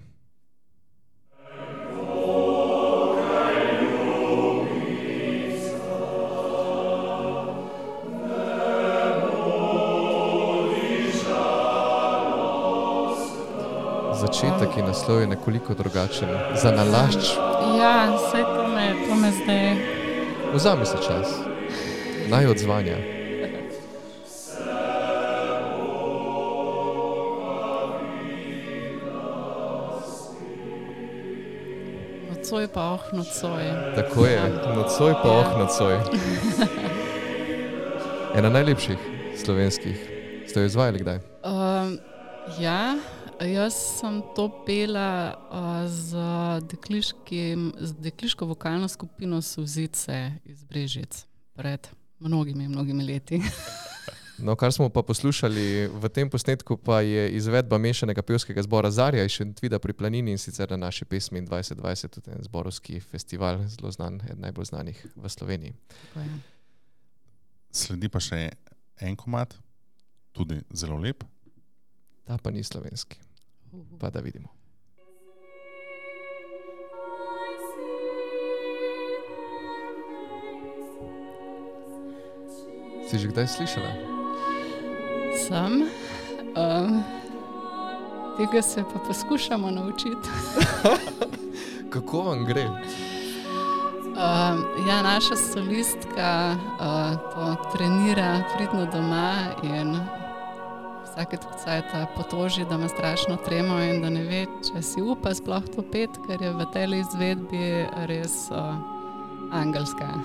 Začetek in naslov je nekoliko drugačen. Za nalašč. Ja, saj to me zdaj. Vzami se čas. Naj odzvanja. Nocoj pa nocoj. Tako je. Nocoj pa nocoj. Ena najlepših slovenskih. Ste jo izvajali kdaj? Ja. Jaz sem to pela z dekliško vokalno skupino Solzice iz Brežic pred mnogimi leti. No, kar smo pa poslušali v tem posnetku, pa je izvedba mešanega pevskega zbora Zarja iz Šentvida pri Planini in sicer na naši pesmi 2020, tudi en zborovski festival, zelo znan, eden najbolj znanih v Sloveniji. Sledi pa še en komad, tudi zelo lep. Ta pa ni slovenski. Pa da vidimo. Si že kdaj slišala? Sem. Tega se pa poskušamo naučiti. Kako vam gre? Ja, naša solistka to trenira pridno doma in vsake cajta potoži, da ima strašno tremo in da ne ve, če si upa sploh to pet, ker je v tej izvedbi res angelska.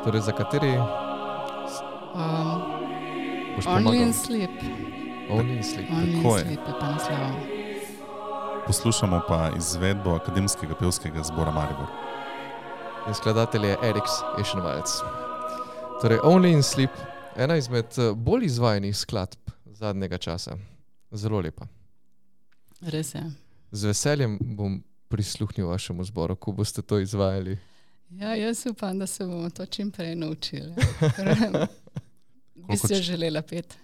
Torej, za kateri? Only in Sleep. Only in Sleep. Only in Tako je. Sleep je pa naslov. Poslušamo pa izvedbo Akademskega pevskega zbora Maribor. In skladatelj je Eriks Eschenwalds. Torej, Only in Sleep, ena izmed bolj izvajanih skladb zadnjega časa. Zelo lepa. Res je. Z veseljem bom prisluhnil vašemu zboru, ko boste to izvajali. Ja, jaz upam, da se bomo to čim prej naučili. Bi Koliko si želela pet.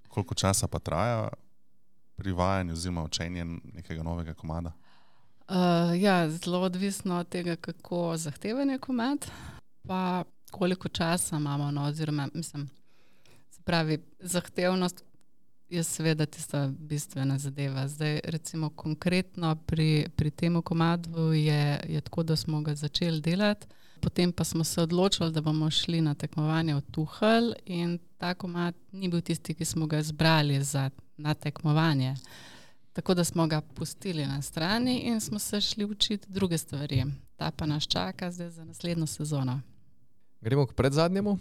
Koliko časa pa traja privajanje oziroma učenje nekega novega komada? Ja, zelo odvisno od tega, kako zahteven je komad, pa koliko časa imamo, no, oziroma, mislim, se pravi, zahtevnost je seveda tista bistvena zadeva. Zdaj, recimo, konkretno pri tem komadu je tako, da smo ga začeli delati, potem pa smo se odločili, da bomo šli na tekmovanje v Tuhelj in ta komad ni bil tisti, ki smo ga izbrali na tekmovanje. Tako da smo ga pustili na strani in smo se šli učiti druge stvari. Ta pa nas čaka zdaj za naslednjo sezono. Gremo k predzadnjemu.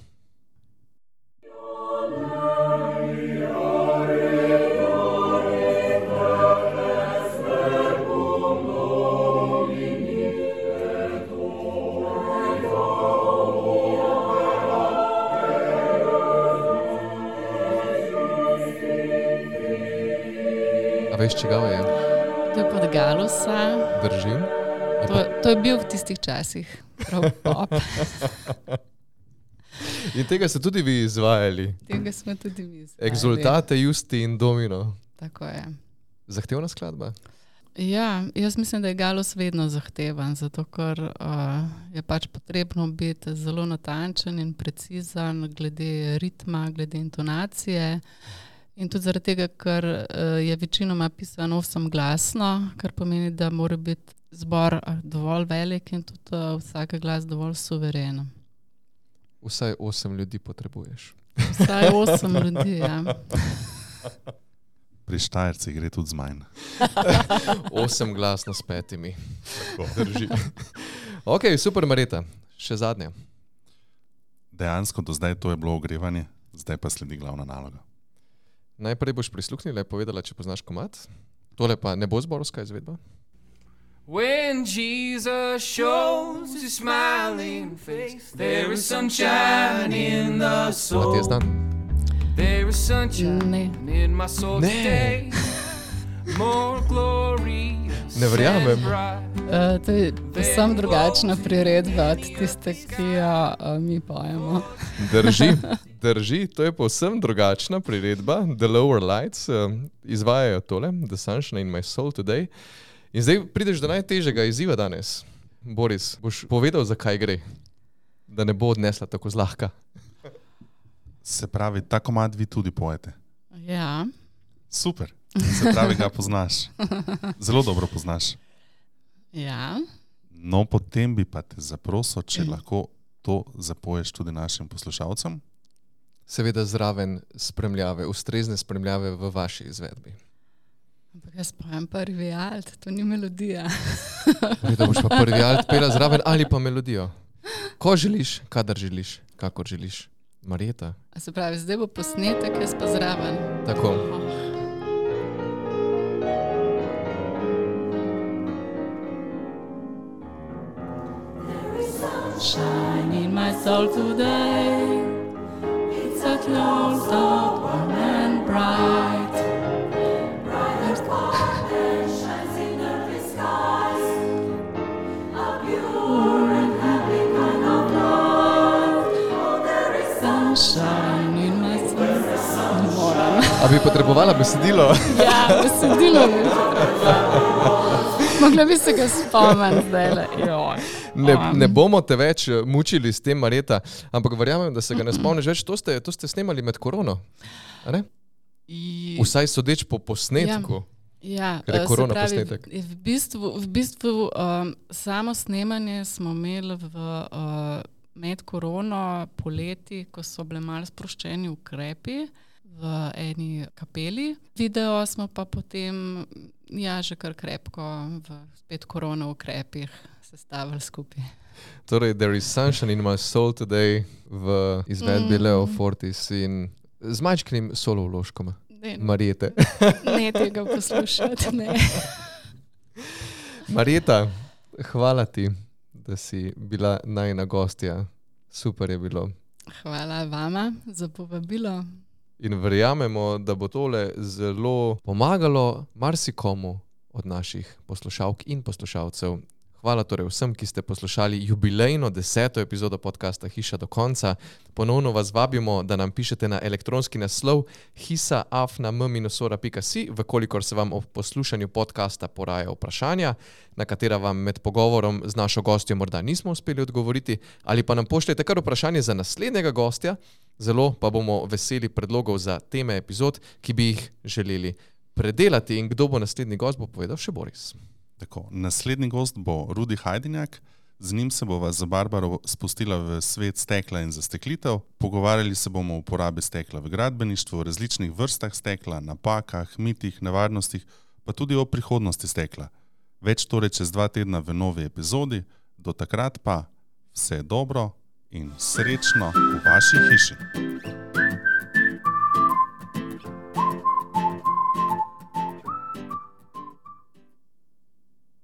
A veš, čigav je? To je pod Galusa. Držim. To je bil v tistih časih prav pop. In tega ste tudi vi izvajali. Tega smo tudi mi izvajali. Exultate, Justi in Domino. Tako je. Zahtevna skladba? Ja, jaz mislim, da je Galus vedno zahteven, zato ker je pač potrebno biti zelo natančen in precizen glede ritma, glede intonacije. In tudi zaradi tega, ker je večinoma pisano osemglasno, kar pomeni, da mora biti zbor dovolj velik in tudi vsak glas dovolj suveren. Vsaj 8 ljudi potrebuješ. Vsaj 8 ljudi, ja. Pri Štajercih gre tudi z manj. 8 glasno s 5. Drži. Ok, super, Marjeta. Še zadnje. Dejansko do zdaj to je bilo ogrevanje, zdaj pa sledi glavna naloga. Najprej boš prisluhnila in povedala, če poznaš komad. Tole pa ne bo zborovska izvedba. When Jesus shows his smiling face, there is sunshine in the A soul. ti je znan? There is sunshine Ne. in my soul Ne. today. More glorious Ne verjamem. and bright. To je povsem drugačna priredba od tiste, ki jo mi pojemo. Drži, to je povsem drugačna priredba. The Lower Lights izvajajo tole, The Sunshine in my soul today. In zdaj prideš do najtežjega izziva danes. Boris, boš povedal, zakaj gre? Da ne bo odnesla tako zlahka. Se pravi, ta komad vi tudi pojete. Ja. Super. Se pravi, ga poznaš. Zelo dobro poznaš. Ja. No, potem bi pa te zaprosil, če lahko to zapoješ tudi našim poslušalcem. Seveda zraven spremljave, ustrezne spremljave v vaši izvedbi. Ampak jaz pojem prvi alt, to ni melodija. Da boš pa prvi alt pela zraven ali pa melodijo. Ko želiš, kadar želiš, kakor želiš. Marjeta. A se pravi, zdaj bo posnetek, jaz pa zraven. Tako. Shine in my soul today. It's a close out, warm and bright. Brightest star that shines in earthly skies. A pure and happy kind of light. Oh, there is sunshine in my soul. Moram. A bi potrebovala besedilo? Ja, besedilo bi mogla bi se ga spomniti zdajle. Ne bomo te več mučili s tem, Marjeta, ampak verjamem, da se ga ne spomniš več. To ste snemali med korono, a ne? Vsaj sodeč po posnetku. Ja, Ker je korona se pravi, posnetek. V bistvu samo snemanje smo imeli med korono poleti, ko so bile malo sproščeni ukrepi. v eni kapeli. Video smo pa potem, že kar krepko v spet korona ukrepih sestavili skupaj. Torej, There is Sunshine in My Soul Today v izvedbi Leo Fortis in z majčkim solo vložkom Marijete. Ne tega poslušati, ne. Marijeta, hvala ti, da si bila najina gostja. Super je bilo. Hvala vama za povabilo. In verjamemo, da bo tole zelo pomagalo marsikomu od naših poslušalk in poslušalcev. Hvala torej vsem, ki ste poslušali jubilejno 10. epizodo podcasta Hiša do konca. Ponovno vas vabimo, da nam pišete na elektronski naslov hisa@m-ora.si, vkolikor se vam ob poslušanju podcasta poraja vprašanja, na katera vam med pogovorom z našo gostjo morda nismo uspeli odgovoriti, ali pa nam pošljete kar vprašanje za naslednjega gostja. Zelo pa bomo veseli predlogov za teme epizod, ki bi jih želeli predelati. In kdo bo naslednji gost, bo povedal še Boris. Tako, naslednji gost bo Rudi Hajdinjak, z njim se bova za Barbaro spustila v svet stekla in zasteklitev. Pogovarjali se bomo o uporabi stekla v gradbeništvu, o različnih vrstah stekla, napakah, mitih, nevarnostih, pa tudi o prihodnosti stekla. Več torej čez 2 tedna v novi epizodi, do takrat pa vse dobro in srečno v vaši hiši.